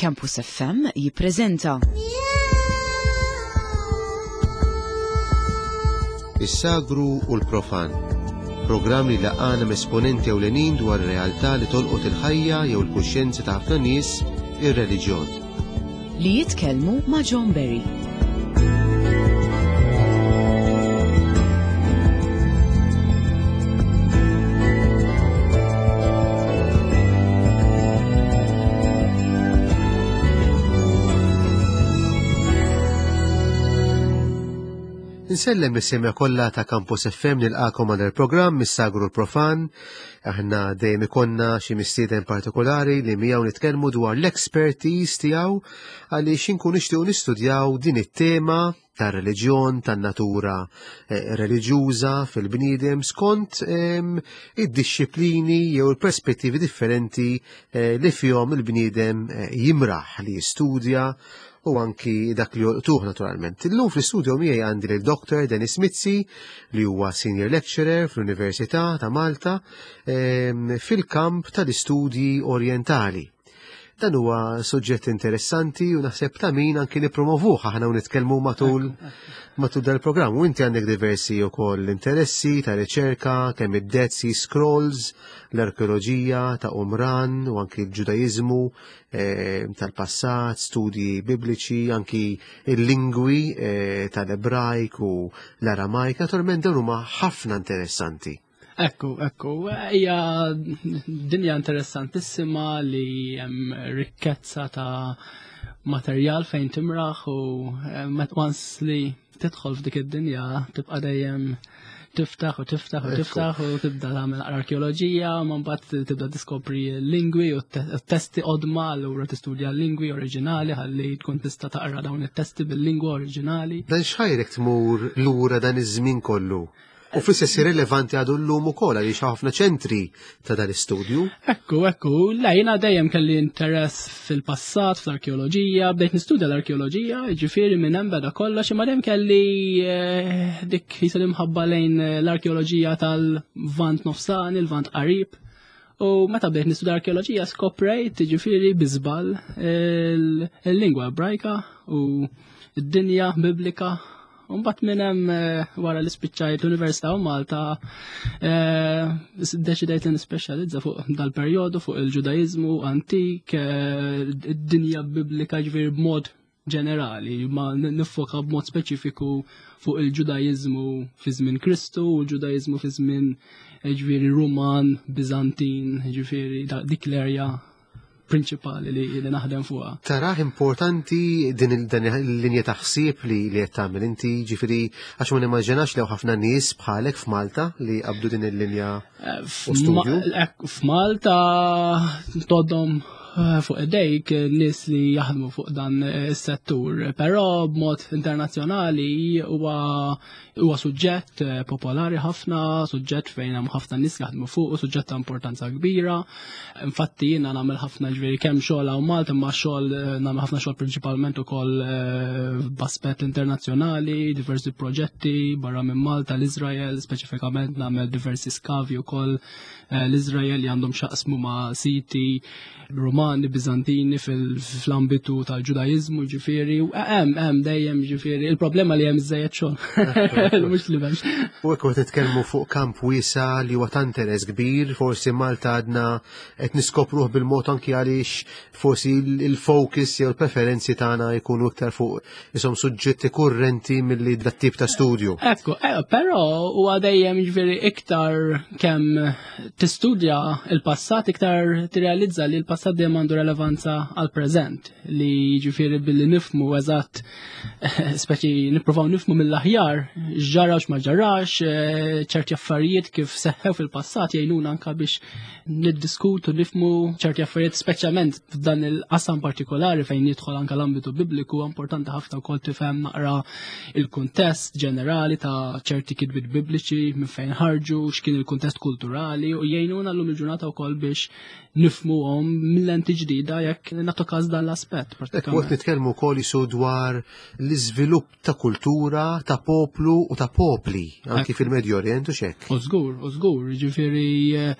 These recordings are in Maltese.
Campus FM jippreżenta. Is-sagru u l-profan. Programm li laqana esponenti ewlenin dwar realtà li tolqot il-ħajja jew il-kuxjenzi ta' ħafna nies, ir-reliġjon. Li jitkellmu ma' John Berry. Insellem is-semja kollha ta' Campus FM nilqakom għal il-programm Mis-Sagru l-Profan. Aħna dejjem ikonna xi mistieden partikolari li miegħu nitkellmu dwar l-expertise tiegħu għaliex inkun nixtiequ nistudjaw din it-tema tar-reliġjon, tan-natura eh, reliġjuża fil-bniedem skont ehm, id-dixxiplini jew il-perspettivi differenti eh, li fihom il-bniedem eh, jimraħ li jistudja u anki dak li jolqtuh naturalment. Illum fl-istudio miegħi għandi lil Dr. Dennis Mizzi li huwa senior lecturer fl-Università ta' Malta ehm, fil-kamp tal-istudji orientali. Dan huwa suġġett interessanti u naħseb ta' min anki nipromovuh aħna u nitkellmu matul matul dal-programm. U inti għandek diversi wkoll interessi ta' riċerka, kemm id-Dead Sea Scrolls, l-arkeoloġija ta' Umran u anki l-Ġudaiżmu eh, tal-passat, studji bibliċi, anki il-lingwi eh, tal-Ebrajk u l-Aramajk. Naturalment dawn huma ħafna interessanti. Ekku, ekku, hija dinja interessantissima li hemm rikkezza ta' materjal fejn timraħ u eh, once li tidħol f'dik id-dinja tibqa' dejjem tiftaħ u tiftaħ u tiftaħ u tibda tagħmel arkeoloġija, ma mbagħad tibda tiskopri l-lingwi u t-testi qodma allura tistudja l-lingwi oriġinali ħalli tkun tista' taqra dawn it-testi bil-lingwa oriġinali. Dan x'ħajrek tmur lura dan iż-żmien kollu? U fl-istess rilevanti għadu llum ukoll għaliex ħafna ċentri ta' dan istudju. Ekku, ekku, la jiena dejjem kelli interess fil-passat, fl-arkeoloġija, bdejt nistudja l-arkeoloġija, ġifieri minn hemm beda kollox, imma dejjem kelli eh, dik jisel imħabba lejn eh, l-arkeoloġija tal-Vant Nofsani, il-Vant Qarib. U meta bdejt nistudja arkeoloġija skoprejt ġifieri biżball il-lingwa ebrajka u d-dinja biblika Umbat minn hemm eh, wara li spiċċajt l-Università u Malta eh, deċidejt li nispeċjalizza fuq dal-perjodu fuq il-Ġudaiżmu antik, eh, id-dinja biblika ġifieri b'mod ġenerali, ma nifoka b'mod speċifiku fuq il-Ġudaiżmu fi żmien Kristu u l-Ġudaiżmu fi żmien ġifieri Ruman, Bizantin, ġifieri dik l-erja prinċipali li, li naħdem fuqha. Taraħ importanti din il-linja ta' ħsieb li li qed tagħmel inti, ġifieri għax ma nimmaġinax li ħafna nies bħalek f'Malta li qabdu din il-linja eh, studju. Eh, f'Malta toddhom eh, fuq idejk nies li jaħdmu fuq dan is-settur, però b'mod internazzjonali huwa Huwa suġġett eh, popolari ħafna, suġġett fejn hemm ħafna nies jaħdmu fuq, suġġett ta' importanza kbira. Infatti jiena nagħmel ħafna ġifieri kemm xogħol hawn Malta imma xogħol eh, nagħmel ħafna xogħol prinċipalment ukoll eh, b'aspett internazzjonali, diversi proġetti barra minn Malta, l-Iżrael, speċifikament nagħmel diversi skavi wkoll l-Iżrael li għandhom xaqsmu ma' siti Rumani, Bizantini fl-ambitu tal-Ġudaiżmu, ġifieri, hemm hemm dejjem ġifieri, il-problema li hemm iżejjed xogħol. Mhux li m'hemmx. U hekk qed nitkellmu fuq kamp wiesa li huwa ta' interess kbir, forsi Malta għadna qed niskopruh bil-mod anki għaliex forsi il-focus jew il-preferenzi tagħna jkunu iktar fuq isom suġġetti kurrenti milli dat tip ta' studju. Ekku, eh, però huwa dejjem ġifieri iktar kemm tistudja il-passat iktar tirrealizza li l-passat dejjem għandu relevanza għal preżent li jiġifieri billi nifmu eżatt speċi nippruvaw nifmu mill-aħjar x'ġara x'ma ġarax, eh, ċerti affarijiet kif seħħew fil-passat jgħinuna anka biex niddiskutu nifmu ċerti affarijiet speċjalment f'dan il-qasam partikolari fejn jidħol anka l-ambitu bibliku importanti ħafna wkoll tifhem naqra il-kuntest ġenerali ta' ċerti kitbiet bibliċi minn fejn ħarġu, x'kien il-kuntest kulturali u jgħinuna llum il-ġurnata wkoll biex nifmuhom mill-lenti ġdida jekk nagħtu każ dan l-aspett. Waqt nitkellmu wkoll jisu dwar l-iżvilupp ta' kultura, ta' poplu u ta' popli anki fil-Medju Orient u xek. U żgur, u żgur, jiġifieri eh,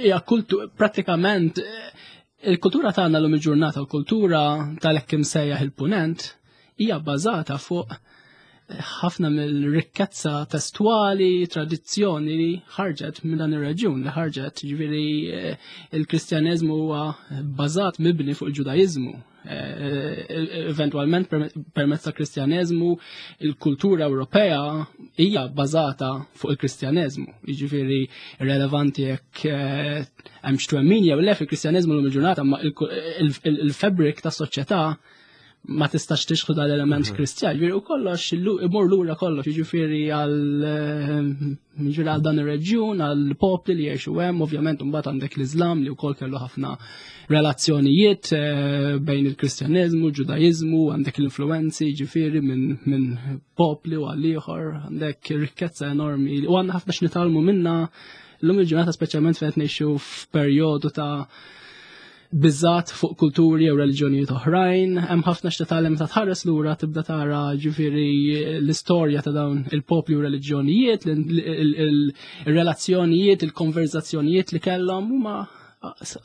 hija kultu pratikament eh, Il-kultura tagħna llum il-ġurnata, l-kultura tal-hekk imsejjaħ il-punent, hija bbażata fuq ħafna mill-rikkezza testwali, tradizzjoni li ħarġet minn dan ir-reġjun li ħarġet, ġifieri eh, il-Kristjaneżmu huwa bbażat mibni fuq il-Ġudaiżmu. Eh, eh, eventualment permezz ta' Kristjaneżmu il-kultura Ewropea hija bbażata fuq il-Kristjaneżmu. Jiġifieri relevanti jekk hemm x'twemmin jew le fil-Kristjaneżmu l il-ġurnata ma il-fabric tas-soċjetà ma tistax tixħu dal-element mhm. kristjan. Ġifieri u kollox imur lura kollox, jiġifieri għal eh, ġifieri għal dan ir-reġjun, għal popli li jgħixu hemm, ovvjament imbagħad għandek l-Iżlam li wkoll kellu ħafna relazzjonijiet eh, bejn il-Kristjaneżmu, l-Ġudaiżmu, għandek l-influenzi ġifieri minn min popli u għal ieħor, għandek rikkezza enormi u għandna ħafna x'nitalmu minna l-lum il-ġurnata speċjalment fejn ngħixu f'perjodu ta' biżat fuq kulturi jew reliġjonijiet oħrajn, hemm ħafna x'titgħallem ta' tħares lura tibda tara ġifieri l-istorja ta' dawn il-popli u reliġjonijiet, il-relazzjonijiet, il-konverzazzjonijiet li kellhom huma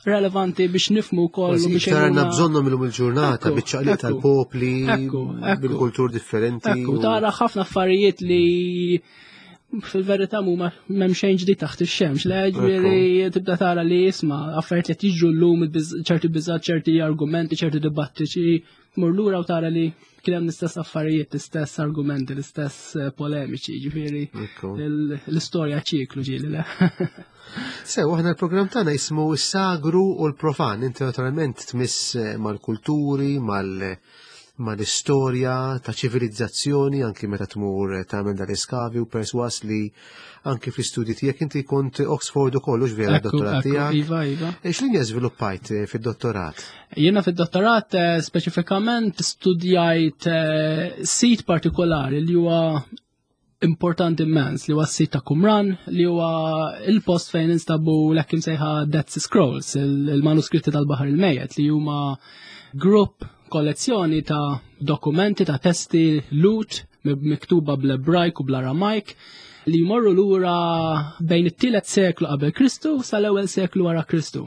relevanti biex nifmu wkoll u biex għandna bżonnhom illum il-ġurnata biċ-ċaqliq tal-popli bil-kultur differenti. Ekku, tara ħafna affarijiet li fil-verità mhuma m'hemm xejn ġdid taħt ix-xemx, le ġifieri tibda tara li jisma' affarijiet li jiġru llum ċerti biżgħat, ċerti argumenti, ċerti dibattiċi, mur lura u tara li kien hemm l-istess affarijiet, l-istess argumenti, l-istess eh, polemiċi, ġifieri l-istorja ċiklu ġieli le. Sew, aħna l-programm tagħna jismu s-sagru u l-profan, inti naturalment tmiss eh, mal-kulturi, mal- mal-istorja ta' ċivilizzazzjoni anki meta tmur tagħmel dal-iskavi u perswas li anki fl-istudji tiegħek inti kont Oxford ukoll hux vera d-dottorat tiegħek. Iva, iva. E, x'linja żviluppajt eh, fid-dottorat? Jiena fid-dottorat eh, speċifikament studjajt eh, sit partikolari li huwa importanti immens li huwa s-sit ta' Qumran li huwa il-post fejn instabu l-hekk imsejħa Dead Sea Scrolls, il-manuskritti tal-Baħar il-Mejjet li huma grupp kollezzjoni ta' dokumenti ta' testi lut miktuba bl-Ebrajk u bl-Aramajk li jmorru lura bejn it-tielet seklu qabel Kristu sal-ewwel seklu wara Kristu.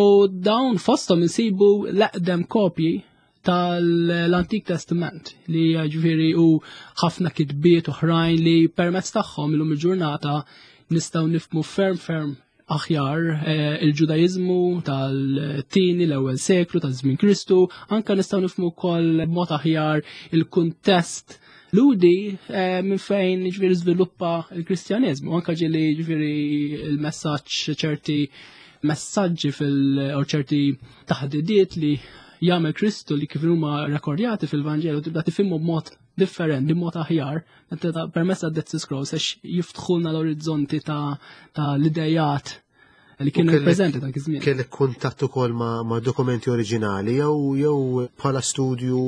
U dawn fosthom insibu l-eqdem kopji tal-Antik Testament li ġifieri u ħafna kitbiet oħrajn li permezz tagħhom illum il-ġurnata nistgħu nifhmu ferm ferm aħjar eh, il-Ġudaiżmu tal-tieni l-ewwel seklu ta' żmien Kristu, anka nistgħu nifhmu wkoll mod aħjar il-kuntest Ludi eh, minn fejn ġifieri żviluppa l-Kristjaneżmu, anka ġieli ġifieri il-messaġġ ċerti messaġġi fil u ċerti taħdidiet li jagħmel Kristu li kif huma rekordjati fil-Vanġelu tibda tifhimhom b'mod differenti, b'mod aħjar, permezz ta' Dead Sea Scrolls għax jiftħulna l-orizzonti ta' l-idejat li kienu preżenti dak iż-żmien. Kellek kuntatt ukoll ma', ma dokumenti oriġinali jew jew bħala studju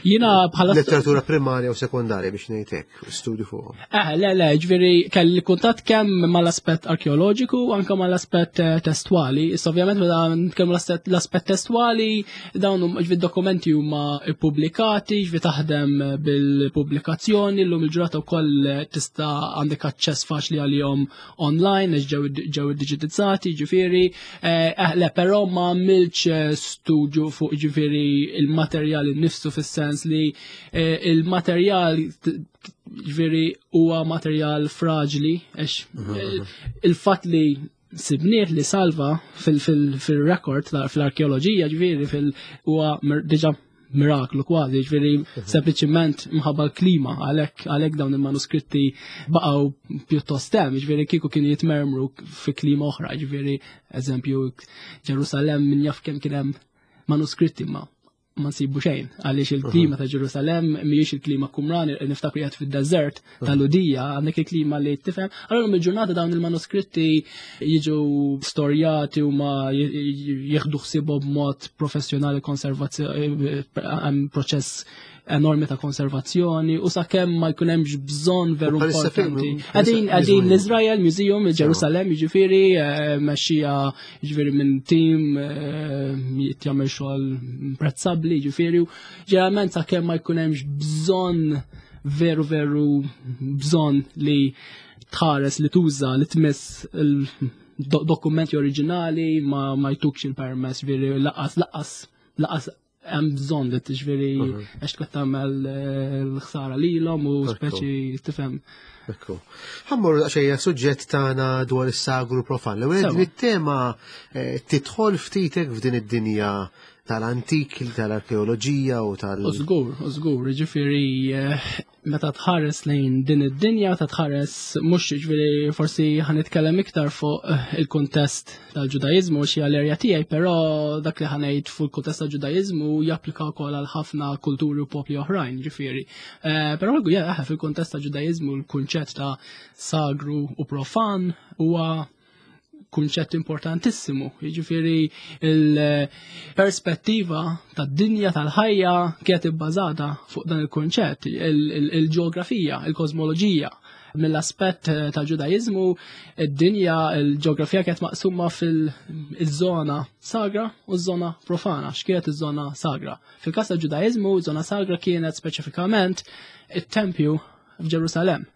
Jiena bħala letteratura primarja u sekondarja biex ngħid hekk, studju fuq. Eh, le, le, ġifieri kelli kuntatt kemm mal-aspett arkeoloġiku u anke mal-aspett eh, testwali. Issa ovvjament meta nitkellmu l-aspett testwali, dawn huma ġifieri dokumenti huma ippubblikati, ġifieri taħdem bil-pubblikazzjoni, llum il-ġurata wkoll tista' għandek aċċess faċli għalihom online għax ġew iddiġitizzati, ġifieri. Eh, eh, le, però ma għamilx studju fuq ġifieri il-materjal innifsu fis-sens li il-materjal ġifieri huwa materjal fraġli għax mhm, eh, mhm. il-fatt li sibnieh li salva fil-rekord fl-arkeoloġija ġifieri fil huwa diġà miraklu kważi, ġifieri mhm. sempliċiment mħabba l-klima għalhekk għalhekk dawn il-manuskritti baqgħu pjuttost hemm, ġifieri kieku kienu jitmermru fi klima oħra, ġifieri eżempju Ġerusalemm min jaf kemm kien hemm manuskritti ma ma nsibu xejn għaliex il-klima ta' Ġerusalemm mhijiex il-klima Kumran niftakru qiegħed fid-deżert tal-Ludija għandek il-klima li tifhem. Allura mill-ġurnata dawn il-manuskritti jiġu storjati u ma jieħdu ħsiebhom b'mod professjonali konservazzjoni hemm proċess enormi ta' konservazzjoni u sakemm ma jkun hemmx bżonn veru importanti. Qegħdin qegħdin l-Izrael Museum Ġerusalemm jiġifieri eh, mexxija jiġifieri minn tim eh, jagħmel xogħol imprezzabbli jiġifieri ġeneralment sakemm ma jkun hemmx bżonn veru veru bżonn li tħares li tuża li tmiss il Dokumenti oriġinali ma, ma jtukx il-permess veri laqas laqas laqas hemm bżonn li tiġifieri mhm. għax tkun tagħmel eh, l-ħsara lilhom u speċi tifhem. Ekku. Ħammur xejja suġġett tagħna dwar is-sagru profan. L-ewwel din it-tema eh, tidħol ftitek f'din id-dinja tal-antik, tal-arkeoloġija u tal- Użgur, użgur, ġifieri eh, meta tħares lejn din id-dinja, ta' tħares mhux ġifieri forsi ħanitkellem iktar fuq eh, il-kuntest tal-Ġudajiżmu xi għall-erja tiegħi, però dak li ħanejt fuq il-kuntest tal-Ġudajiżmu japplika wkoll għal ħafna kulturi u popli oħrajn, ġifieri. Eh, però eh, fil-kuntest tal-Ġudajiżmu l-kunċett ta' sagru u profan huwa kunċett importantissimu. Jiġifieri il-perspettiva tad-dinja tal-ħajja kienet ibbażata fuq dan il-kunċett, il-ġeografija, il-kosmoloġija. Mill-aspett eh, tal-Ġudajiżmu, id-dinja, il-ġeografija kienet maqsuma fil-żona sagra u ż-żona profana. X'kienet iż-żona sagra? Fil-każ tal-Ġudajiżmu, żona sagra kienet speċifikament it-tempju f'Ġerusalemm.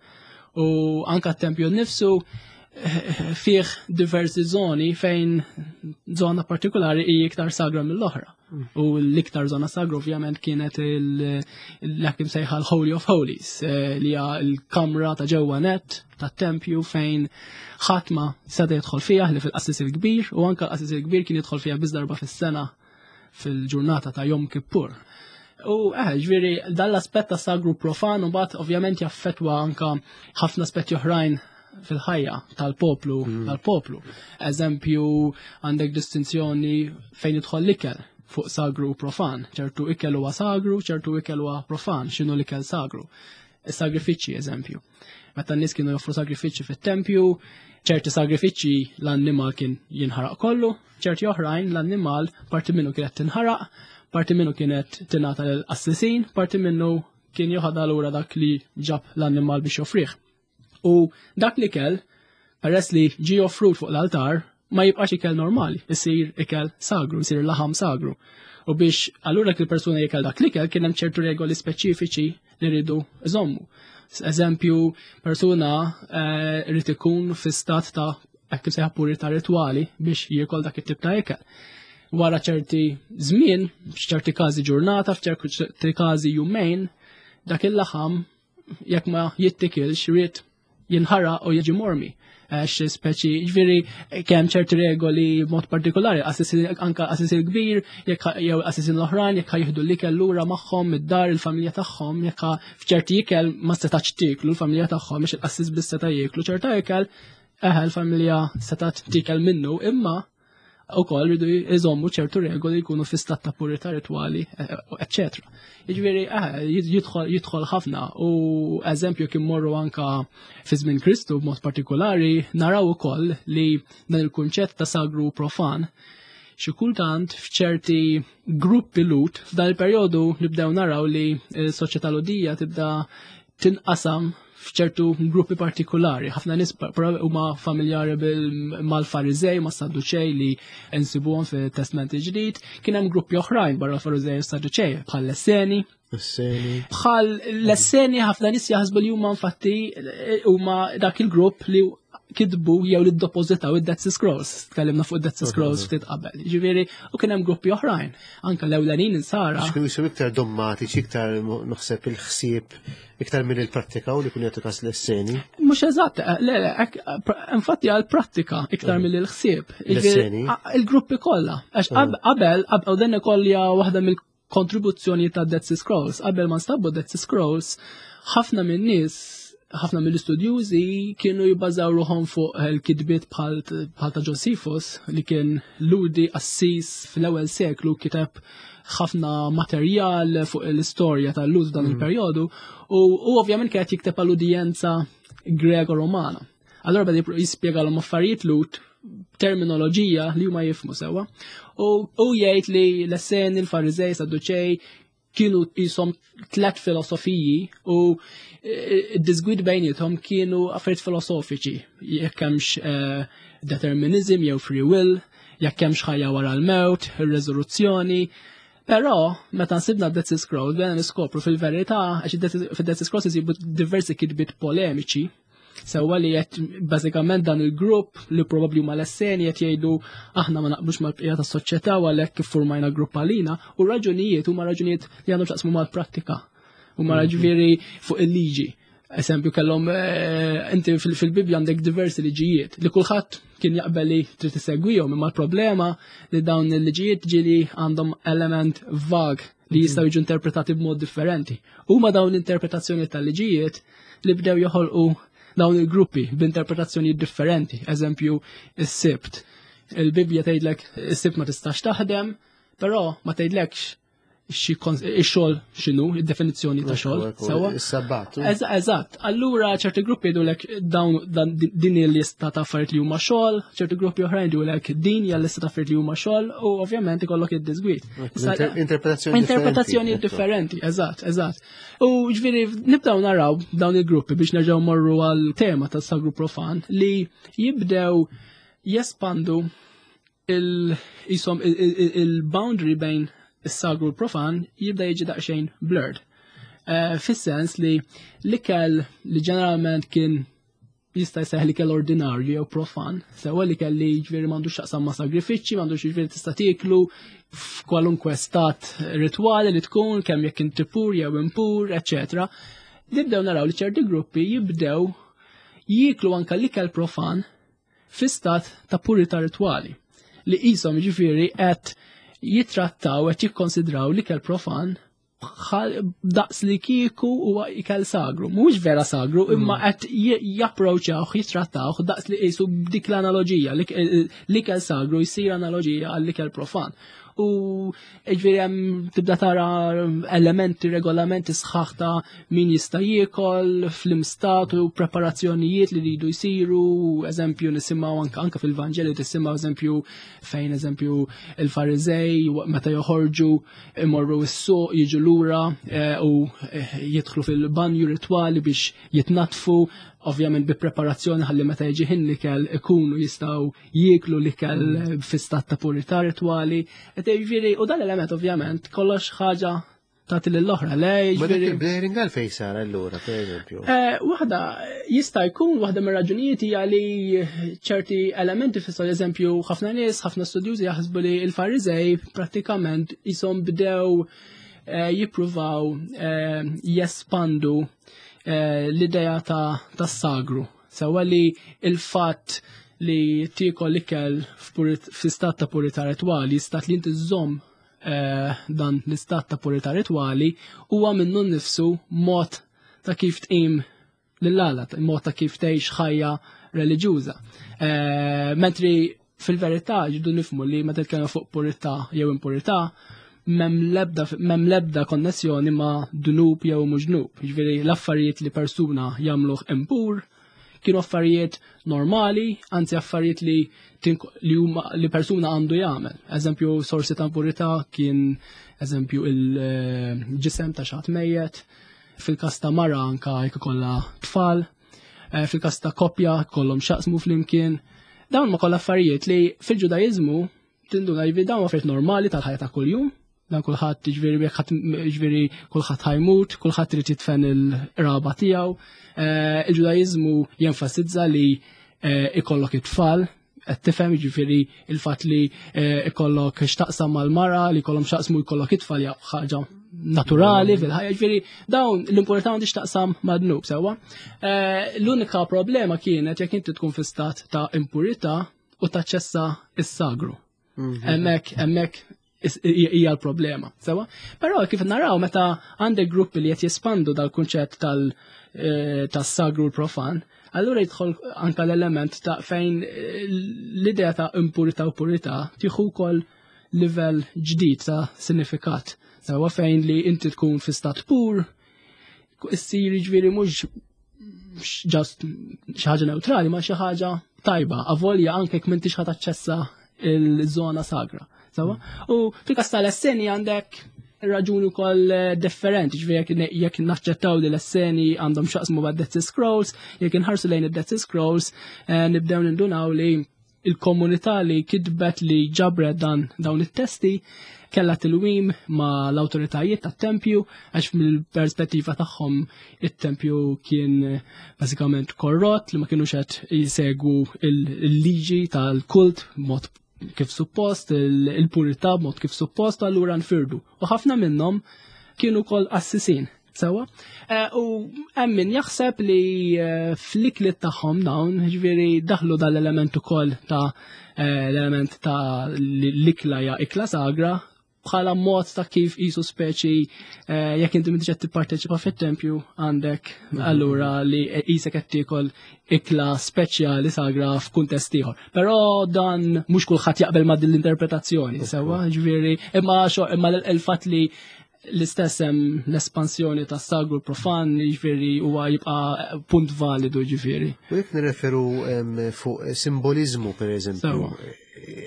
U anka t-tempju nnifsu eh, fih diversi zoni fejn zona partikolari hi iktar sagra mill-oħra. Mm. U l-iktar zona sagra ovvjament kienet l-hekk imsejħa l-Holy of Holies, eh, li hija l-kamra ta' ġewwa net tat-tempju fejn ħadd ma seta' jidħol fiha li fil-qassis il-kbir u anka l-qassis il-kbir kien jidħol fiha biss darba fis-sena fil-ġurnata ta' Jom Kippur. U eh, ġviri, dan l-aspett ta' sagru profan u bat ovvjament jaffetwa anka ħafna aspetti oħrajn fil-ħajja tal-poplu, mm. tal-poplu. Eżempju, għandek distinzjoni fejn idħol l-ikel fuq sagru u profan. ċertu ikel huwa sagru, ċertu ikel huwa profan, x'inhu l-ikel sagru. Is-sagrifiċċji, eżempju. Meta n-nies kienu joffru sagrifiċċji fit-tempju, ċerti sagrifiċċji l-annimal kien jinħaraq kollu, ċerti oħrajn l-annimal parti minnu kienet tinħaraq, parti minnu kienet tingħata lill-qassisin, parti minnu kien joħodha lura dak li ġab l-annimal biex joffrih. U dak li kell, peress li ġi offrut fuq l-altar, ma jibqax ikel normali, isir ikel sagru, isir laħam sagru. U biex allura dak il-persuna jikel dak l-ikel kien hemm ċertu regoli speċifiċi li rridu iżommu. Eżempju, persuna eh, rrid ikun fi stat ta' hekk sejħa purità ritwali biex jiekol dak it-tip ta' ikel. Wara ċerti żmien, f'ċerti każi ġurnata, f'ċerti każi jumejn, dak il-laħam jekk ma jittikilx rrid jinħaraq u jiġi mormi. Għax speċi, ġviri, kemm ċerti regoli mod partikolari, anka assisir kbir, jekk jew assisir l-oħrajn, jekk jieħdu l-ikel lura magħhom id-dar il-familja tagħhom, jekk f'ċerti ikel ma setax tieklu l-familja tagħhom biex il-qassis biss seta' jieklu ċerta ikel, eħe l-familja seta' tikel minnu, imma u koll rridu jżommu ċertu regoli jkunu fi stat ta' purità ritwali, eccetera. Jiġifieri, eh, jidħol ħafna u eżempju kien morru anka fi żmien Kristu b'mod partikolari naraw ukoll li dan il-kunċett ta' sagru profan xi kultant f'ċerti gruppi lut f'dan il-perjodu nibdew naraw li s-soċjetà ludija tibda tinqasam f'ċertu gruppi partikolari. Ħafna nies huma familjari mal-Fariżej, ma' Sadduċej li nsibuhom fit-Testment il-Ġdid. Kien hemm gruppi oħrajn barra l-Fariżej u Sadduċej bħal l-Esseni. Bħal l-Esseni ħafna nies jaħsbu li huma infatti huma dak il-grupp li kitbu jew li ddepożitaw id-Dead Sea Scrolls. Tkellimna fuq id-Dead Sea Scrolls ftit qabel. Ġifieri, u kien hemm gruppi oħrajn. Anka l-ewlenin insara. Kienu jisiru iktar dommatiċi, iktar naħseb il-ħsieb, iktar minn il-prattika u li kun jagħtu kas l-esseni. Mhux eżatt, eh, le, le, infatti għal-prattika iktar mm. mill il-ħsieb. Il-gruppi kollha. Għax qabel, u dan ukoll hija waħda mill kontribuzzjoni ta' Dead Sea Scrolls. Qabel ma nstabu Dead Sea Scrolls, ħafna minn nies ħafna mill-istudjużi kienu jibbażaw ruħhom fuq il-kitbiet bħal ta' Josephus li kien ludi assis fl-ewwel seklu kiteb ħafna materjal fuq l-istorja tal-Lud dan mm. il-perjodu u ovvjament kienet jikteb għall-udjenza Grego-Romana. Allora beda jispjegalhom affarijiet Lut terminoloġija li huma jifmu sewwa. U jgħid li l-Esseni, l-Fariżej, Sadduċej kienu jisom tlet filosofiji u e, d-disgwid bejnietom kienu affarijiet filosofiċi, jekk hemmx e, determinizm jew free will, jekk hemmx ħajja wara l-mewt, ir-reżoluzzjoni. Però, meta nsibna Dead Sea Scrolls, bdejna niskopru fil-verità, għax fid-Dead Sea Scrolls isibu diversi kitbiet polemiċi. Sewwa li qed bażikament dan il-grupp li probabbli huma l-Esseni qed jgħidu aħna ma naqblux mal-bqija tas-soċjetà u għalhekk iffurmajna grupp għalina u raġunijiet huma raġunijiet li għandhom x'jaqsmu mal-prattika. Huma ġifieri fuq il-liġi. Eżempju kellhom eh, inti fil-Bibbja għandek diversi liġijiet li kulħadd kien jaqbel li trid isegwihom imma l-problema li dawn il-liġijiet ġieli għandhom element vag li jistgħu jiġu interpretati b'mod differenti. Huma dawn l-interpretazzjoni tal-liġijiet li bdew joħolqu dawn il-gruppi b'interpretazzjoni differenti. Eżempju, is-sibt. Il-Bibbja tgħidlek is-sibt ma tistax taħdem, però ma tgħidlekx ix-xogħol x'inhu, id-definizzjoni ta' xogħol. Sewa. Is-sabbat. Eżatt. Allura ċerti gruppi jgħidulek dawn din il-lista ta' affarijiet li huma xogħol, ċerti gruppi oħrajn jgħidulek din hija lista ta' affarijiet li huma xogħol u ovvjament ikollok id-disgwit. Interpretazzjoni Interpretazzjoni differenti, eżatt, eżatt. U ġifieri nibdew naraw dawn il-gruppi biex nerġgħu morru għal tema tas-sagru profan li jibdew jespandu il-jisom il-boundary bejn is-sagru l-profan jibda jiġi daqsxejn blurred. Eh, fis-sens li l-ikel li ġeneralment kien jista' jseħ li kell ordinarju jew profan, sewa li kelli ġifieri m'għandux x'taqsam ma' sagrifiċċji, m'għandux ġifieri tista' tieklu f'kwalunkwe stat ritwali li tkun kemm jekk inti pur jew impur, eċċetera. Nibdew naraw li ċerti gruppi jibdew jieklu anka l-ikel profan fi stat ta' purità ritwali li qishom jiġifieri qed jittrattaw qed jikkonsidraw l-ikel profan daqs li kieku huwa ikel sagru. Mhuwiex vera sagru, mm. imma qed japproċċawh, jittrattawh daqs li qisu b'dik l-analoġija, l-ikel sagru jsir analoġija għall-ikel profan. U ġifieri hemm tibda tara elementi, regolamenti sħaħ ta' min jista' jiekol fl-imstat u preparazzjonijiet li jridu jsiru, eżempju nisimgħu anke anke fil-Vanġeli tisimgħu eżempju fejn eżempju il-Fariżej meta joħorġu imorru s-suq jiġu lura eh, u eh, jidħlu fil-banju ritwali biex jitnatfu, ovvjament bi preparazzjoni ħalli meta jiġi ħin l-ikel ikunu jistgħu jieklu l-ikel mm. fi stat ta' purità ritwali. Jiġifieri, u dan l-element ovvjament kollox ħaġa tagħti lill-oħra. Le, Ma dak il-blaring għalfejn sar allura, per eżempju. Eh, waħda jista' jkun waħda mir-raġunijiet hija li ċerti elementi fis eżempju ħafna nies, ħafna studjużi jaħsbu li l-Fariżej prattikament jisom bdew eh, jippruvaw eh, jespandu l-idea ta' tas-sagru. Sewa li il-fatt li tiekol ikel f'istat ta' purità ritwali, stat li inti żżomm eh, dan l-istat ta' purità ritwali huwa minnu nnifsu mod ta' kif tqim lill-Alla, mod ta' kif tgħix ħajja reliġjuża. Eh, mentri fil-verità ġidu nifmu li meta titkellem fuq purità jew impurità, mem lebda konnessjoni ma' dnub jew mhux dnub. Jiġifieri l-affarijiet li persuna jagħmluh impur kienu affarijiet normali, anzi affarijiet li li huma li persuna għandu jagħmel. Eżempju, sorsi ta' impurità kien eżempju il-ġisem ta' xaħat mejjet, fil-każ ta' mara anka jekk ikollha tfal, eh, fil-każ ta' koppja kollhom xaqsmu flimkien. Dawn ma kollha affarijiet li fil-Ġudaiżmu tinduna jiġifieri dawn affarijiet normali tal-ħajja ta' kuljum, dan kulħadd jiġifieri jekk ħadd jiġifieri kulħadd ħajmut, kulħadd irid jitfen il-raba tiegħu. Eh, Il-Ġudaiżmu jenfasizza li eh, ikollok it-tfal, qed tifhem jiġifieri il-fatt li eh, ikollok x'taqsam mal-mara, li jkollhom x'jaqsmu jkollok it-tfal hija ħaġa naturali fil-ħajja, jiġifieri dawn l-impurità m'għandix taqsam mad-dnub sewwa. L-unika problema kienet jekk inti tkun fi stat ta' impurità u taċċessa s-sagru. Mhm. Hemmhekk hemmhekk hija l-problema. Sewa? Però kif naraw meta għandek gruppi li qed jespandu dal-kunċett tal eh, tas-sagru l-profan, allura jidħol anka l-element ta' fejn eh, l-idea ta' impurità u purità tieħu wkoll livell ġdid ta' sinifikat. Sewa fejn li inti tkun fi stat pur, issir jiġifieri mhux just xi ħaġa neutrali ma xi ħaġa tajba, avolja anke jekk m'intix ħadd aċċessa il-żona sagra. Sawa? U fil-każ tal-esseni għandek raġuni wkoll eh, differenti, ġifieri jekk naċċettaw li l-esseni għandhom xaqsmu ma' Dead Sea Scrolls, jekk inħarsu lejn id-Dead Sea Scrolls, eh, nibdew nindunaw li il-komunità li kitbet li ġabret dan dawn it-testi Kellha tilwim ma' l-awtoritajiet tat-tempju għax mill-perspettiva tagħhom it-tempju kien bażikament korrott li ma kinux qed jisegwu il-liġi tal-kult mod kif suppost, il-purità mod kif suppost, allura nfirdu. U ħafna minnhom kienu kol assisin. Sewa. Eh, u hemm min jaħseb li eh, fl-iklit tagħhom dawn, ġifieri daħlu dal-element ukoll ta' eh, l-element ta' l-ikla ja ikla sagra bħala mod ta' kif jisu speċi jekk inti m'intix qed tipparteċipa fit-tempju għandek allura li qisek qed tiekol ikla speċjali sagra f'kuntest ieħor. Però dan mhux kulħadd jaqbel ma' din l-interpretazzjoni, sewwa, ġifieri imma imma l-fatt li l-istess hemm l-espansjoni ta' sagru profan, jiġifieri huwa jibqa' punt validu ġifieri. U jekk nirreferu fuq simbolizmu pereżempju,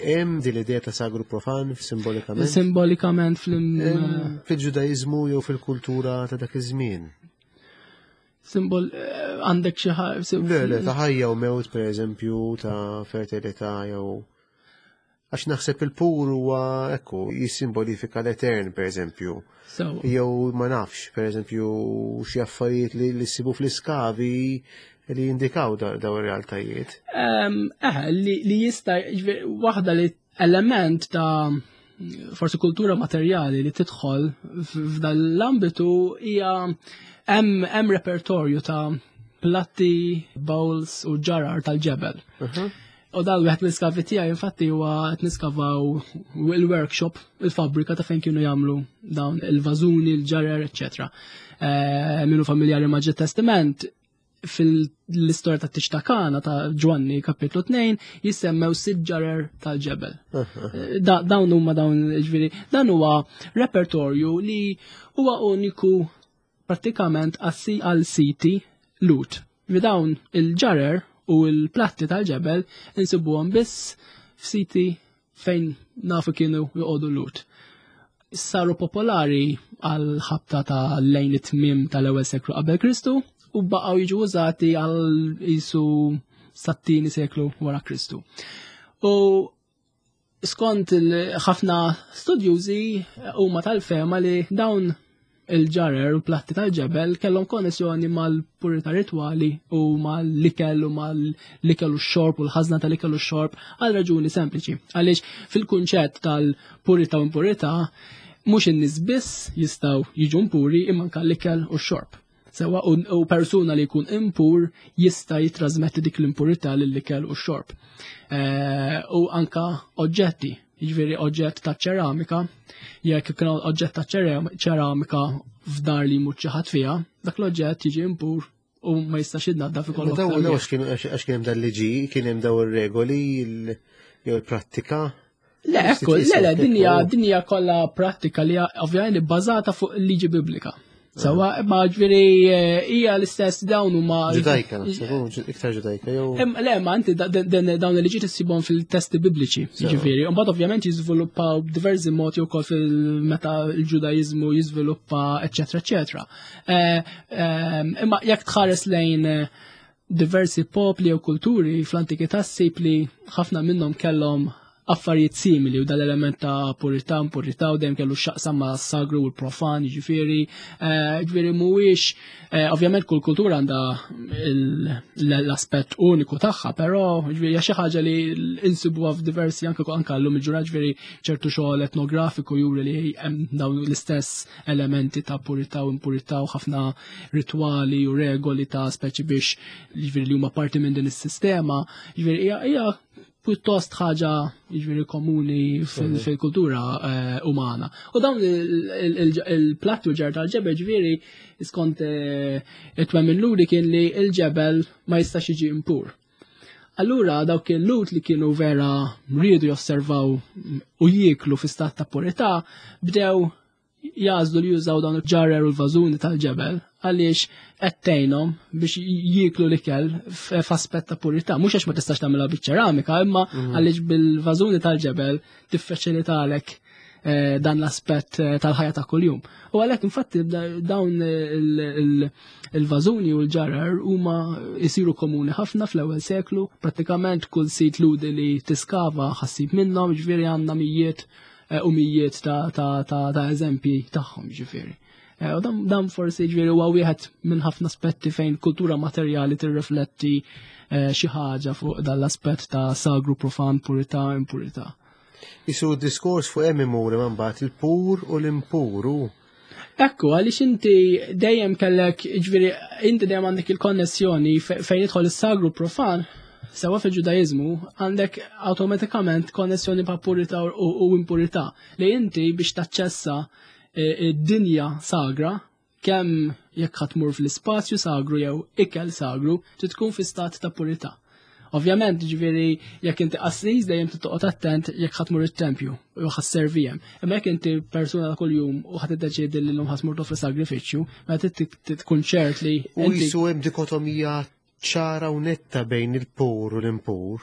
hemm din l-idea ta' sagru profan simbolikament? Simbolikament fl Fil-Ġudaiżmu jew fil-kultura ta' dak iż-żmien. Simbol eh, għandek xi ħaġa. Le, le, ta' ħajja u mewt pereżempju, ta' fertilità jew Għax naħseb il-pur huwa ekku jissimbolifika l-etern pereżempju. Jew ma nafx, pereżempju xi affarijiet li li ssibu fl-iskavi li jindikaw daw ir-realtajiet. Eh, li jista' waħda li element ta' forsi kultura materjali li tidħol f'dan l-ambitu hija hemm repertorju ta' platti, bowls u ġarar tal-ġebel. U dal wieħed mill-iskavi tiegħi infatti huwa qed niskavaw il-workshop, il-fabbrika ta' fejn kienu jagħmlu dawn il-vażuni, il-ġarer, eċċetera. Eh, minu familjari ma' Ġid Testament fil-istorja ta' tiġ ta' Kana ta' Ġwanni kapitlu 2 jissemmew sitt ġarer tal-ġebel. Eh, dawn huma dawn ġifieri, dan huwa repertorju li huwa uniku prattikament assi għal siti Lut. Li dawn il-ġarer u l-platti tal-ġebel insibuhom biss f'siti fejn nafu kienu joqogħdu Lut. Saru popolari għal ħabta ta' lejn it-tmiem tal-ewwel seklu qabel Kristu u baqgħu jiġu użati għal jisu sat-tieni seklu wara Kristu. U skont ħafna studjużi huma tal-fema li dawn il-ġarer u platti tal-ġebel kellhom konnessjoni mal-purità ritwali u mal-ikel u mal-ikel u x-xorb u l-ħażna tal-ikel u x-xorb għal raġuni sempliċi. Għaliex fil-kunċett tal-purità u impurità mhux in-nies biss jistgħu jiġu impuri imma anke l-ikel u x-xorb. Sewa u persuna li jkun impur jista' jitrasmetti dik l-impurità lill-ikel u x-xorb. Eh, u anka oġġetti, jiġifieri oġġett ta' ċeramika, jekk ikun oġġett ta' ċeramika f'dar li jmut xi ħadd fiha, dak l-oġġett jiġi impur u ma jistax jidnaddaf ikollok. Daw għax kien għax kien hemm dal-liġi, kien hemm daw ir-regoli jew il-prattika. Le, ekku, le, le, dinja, dinja kollha prattika li ovvjament bbażata fuq il-liġi biblika. Sawa, ma ġviri eh, hija l-istess dawn huma. Ġudajka, naħseb, iktar ġudajka jew. Le, ma inti dawn il-liġi tissibhom fil-testi bibliċi, ġifieri. Imbagħad ovvjament jiżviluppaw b'diversi modi wkoll fil-meta l-Ġudaiżmu jiżviluppa, eċetera, eċetera. Eh, eh, imma jekk tħares lejn diversi popli u kulturi fl-antikità ssib li ħafna minnhom kellhom affarijiet simili u dal-element ta' purità, impurità u dejjem kellu x'jaqsam ma' sagru u l-profan, jiġifieri, eh, jiġifieri mhuwiex eh, ovvjament kull kultura għandha l-aspett uniku tagħha, però jiġifieri hija xi ħaġa li insibuha f'diversi anke anke llum il-ġurnata ġifieri ċertu xogħol etnografiku juri li hemm dawn l-istess elementi ta' purità u impurità u ħafna ritwali u regoli ta' speċi biex jiġifieri li huma parti minn din is-sistema, jiġifieri hija pjuttost ħaġa jiġifieri komuni mhm. fil-kultura eh, umana. U dawn il-platti u ġar tal-ġebel ġifieri skont eh, it-twemmin luri kien li il-ġebel ma jistax jiġi impur. Allura dawk il-lut li kienu vera riedu josservaw u jieklu fi stat ta' purità bdew jagħżlu li jużaw dawn il-ġarrer u l-vażuni tal-ġebel għaliex qed tgħinhom biex jieklu l-ikel f'aspett ta' purità. Mhux għax ma tistax tagħmilha biċ-ċeramika, imma mhm. għaliex bil-vażuni tal-ġebel tiffaċilitalek eh, dan l-aspett eh, tal-ħajja ta' kuljum. U għalhekk infatti dawn il-vażuni u l-ġarar huma jsiru komuni ħafna fl-ewwel seklu, prattikament kull sit ludi li tiskava ħassib minnhom, ġifieri għandna mijiet. eh, u mijiet ta' ta' ta' ta' eżempji tagħhom ġifieri. Eh, u dan forsi ġifieri huwa wieħed minn ħafna aspetti fejn kultura materjali tirrifletti eh, xi ħaġa fuq dan l-aspett ta' sagru profan, purità, impurità. Isu diskors fuq hemm imur imma mbagħad il-pur u l-impuru. Ekku, għaliex inti dejjem kellek, ġifieri, inti dejjem għandek il-konnessjoni fejn jidħol is-sagru profan, sewa fil-Ġudaizmu, għandek awtomatikament konnessjoni pa' purità u impurità li inti biex taċċessa e, id-dinja sagra, kemm jekk ħa tmur fl-ispazju sagru jew ikel sagru, trid tkun fi stat ta' purità. Ovvjament, ġifieri, jekk inti qassis dejjem trid toqgħod attent jekk ħa tmur it-tempju u ħa sservi hemm. Imma jekk inti persuna ta' kuljum u ħa tiddeċiedi li llum ħa tmur toffri sagrifiċċju, mela trid tkun ċert li U jisu hemm dikotomija ċara u netta bejn il-pur u l-impur.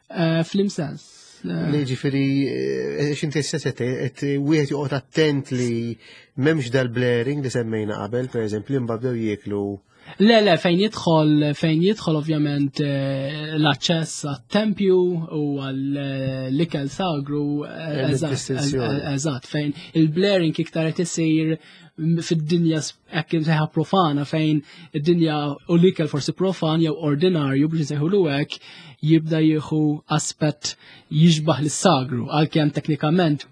Eh, fl-imsens. Eh. Li ġifiri, eh, xinti s-sess qed wieħed joqgħod attent li m'hemmx dal-blaring li semmejna qabel, per eżempju, li mbagħad jieklu Le, le, fejn jidħol, fejn jidħol ovvjament l-aċċess għat-tempju u għall-ikel sagru, eżatt, fejn il-blaring iktar qed isir fid-dinja hekk imsejħa profana fejn id-dinja u l-ikel forsi profan jew ordinarju biex nsejħulu hekk jibda jieħu aspett jixbaħ lis-sagru għalkemm teknikament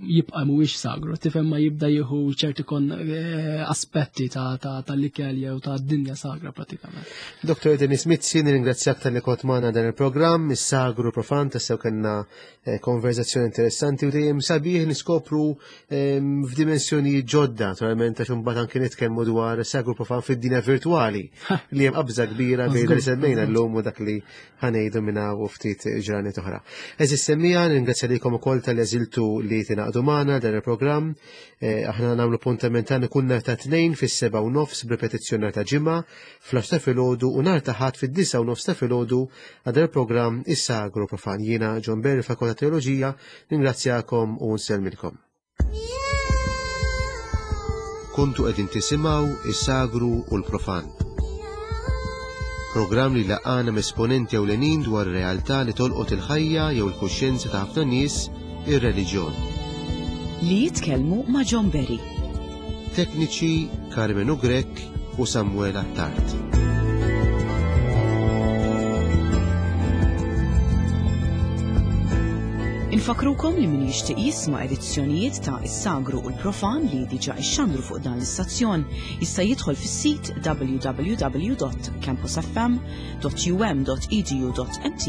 jibqa' mhuwiex sagru, tifhem ma jibda jieħu ċerti kon eh, aspetti tal-ikel jew ta' dinja sagra pratikament. Dr. Denis Mizzi, nirringrazzjak tal-li kont magħna dan il-programm, is-sagru profan tassew kellna eh, konverzazzjoni interessanti u dejjem sabiħ niskopru ehm, f'dimensjoni ġodda, naturalment għax imbagħad anke nitkellmu dwar sagru profan fid-dinja virtwali li hemm qabża kbira bejn li semmejna llum u dak li ħanejdu minna u ftit ġranet oħra. Eżis semmija, ningrazzja lilkom ukoll tal-eżiltu li tingħaqdu magħna dan il-programm. Eh, aħna nagħmlu puntament tagħna kull nhar ta' tnejn fis-seba' u nofs b'ripetizzjoni nhar ta' ġimgħa fl ta' filgħodu u nhar ta' ħadd fid-disa' u nofs ta' filgħodu għal dan il-programm is-Sagru Profan. Jiena John Berry Fakultà Teoloġija, ningrazzjakom u nsellmilkom. Kontu qegħdin tisimgħu is-Sagru u l-Profan. Programm li laqana m'esponenti ewlenin dwar realtà li tolqot il-ħajja jew il-kuxjenza ta' ħafna nies, ir-reliġjon. Li jitkellmu ma' John Berry. Tekniċi Carmenu Grech u Samuel Attard. Infakrukom li min jixtieq jisma' edizzjonijiet ta' Is-Sagru u l-Profan li diġà ixxandru fuq dan l-istazzjon jista' jidħol fis-sit www.campusfm.um.edu.mt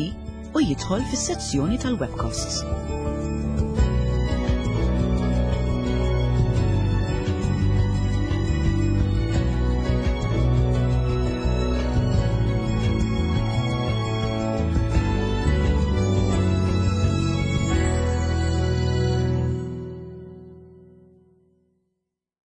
u jidħol fis-sezzjoni tal-webcasts.